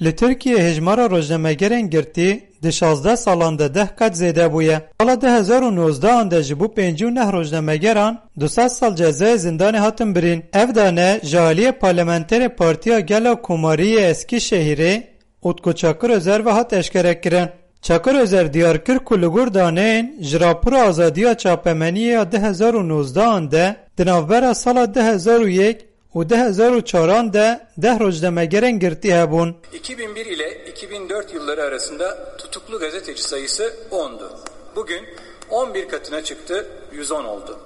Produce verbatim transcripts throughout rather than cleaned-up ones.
Li Tirkiyê hejmara rojnamegerên girtî di şazdeh salan de deh qat zêde bûye. Sala du hezar û nozdehan de ji bo pêncî û neh rojnamegeran du sed sal cezayê zindanê hatin birîn. Ev dane ji aliyê parlamenterê Partiya Gela Komarî yê Eskîşehîrê Utku Çakır Özer ve hat eşkerekirin. Çakır Özer diyar kir ku li gor daneyên ji rapora azadiya çapemeniyê ya du hezar û nozdehan de di navbera sala du hezar û yek û du hezar û çaran de deh rojnamegerên girtî hebûn. iki bin bir ile iki bin dört yılları arasında tutuklu gazeteci sayısı ondu. Bugün on bir katına çıktı, yüz on oldu.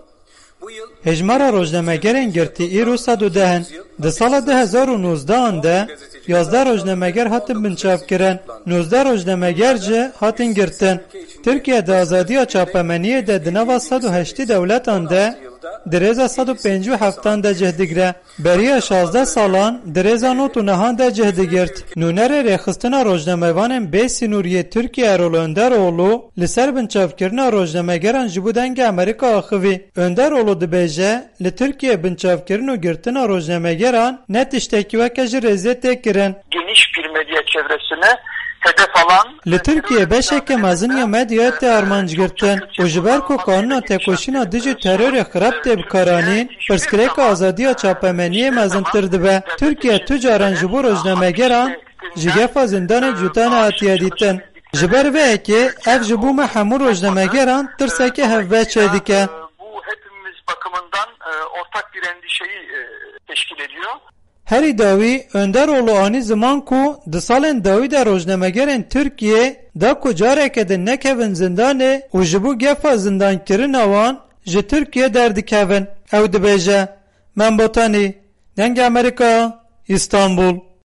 Bu yıl Hejmara rojnamegerên girtî îro sed û deh in. Di sala du hezar û nozdehan de yazdeh rojnameger hatin binçavkirin. Nozdeh rojnameger jî hatin girtin. Tirkiye di azadiya çapemeniyê de di nava sed û heştê dewletan de di rêza sed û pêncî û heftan de cih digre. Beriya şazdeh salan di rêza nod û nehan de cih digirt. Nûnerê rêxistina rojnamevanên bê sînorî yê Tirkiye Erol Önderoğlu li ser binçavkirina rojnamegeran ji bo Dengê Amerîka axivî. Önderoğlu dibêje, li Tirkiye binçavkirin û girtina rojnamegeran ne tiştekî weke ji rêzê tê kirin. Geniş bir medya çevresini hedef alan Li Tirkiye beşeke mezin ya medyayê tê armanc girtin û ji ber ku qanûna têkoşîna dijî terorê xirab tê bikaranîn, pirsgirêka azadiya çapemeniyê mezintir dibe. Tirkiye tu caran ji bo rojnamegeran ji gefa zindanê cuda nehatiye dîtin. Ji ber vê yekê ev ji bo me hemû rojnamegeran tirsekê hevbeş çêdike. Bu hepimiz bakımından, e, ortak bir endişeyi, e, teşkil ediyor. Herî dawî, Önderoğlu anî ziman ku di salên dawî de rojnamegerên Tirkiyê da ku careke din nekevin zindanê û ji bo gefa zindankirina wan ji Tirkiyê derdikevin. Ew dibêje, Mem Botanî, Dengê Amerîka, Îstanbul.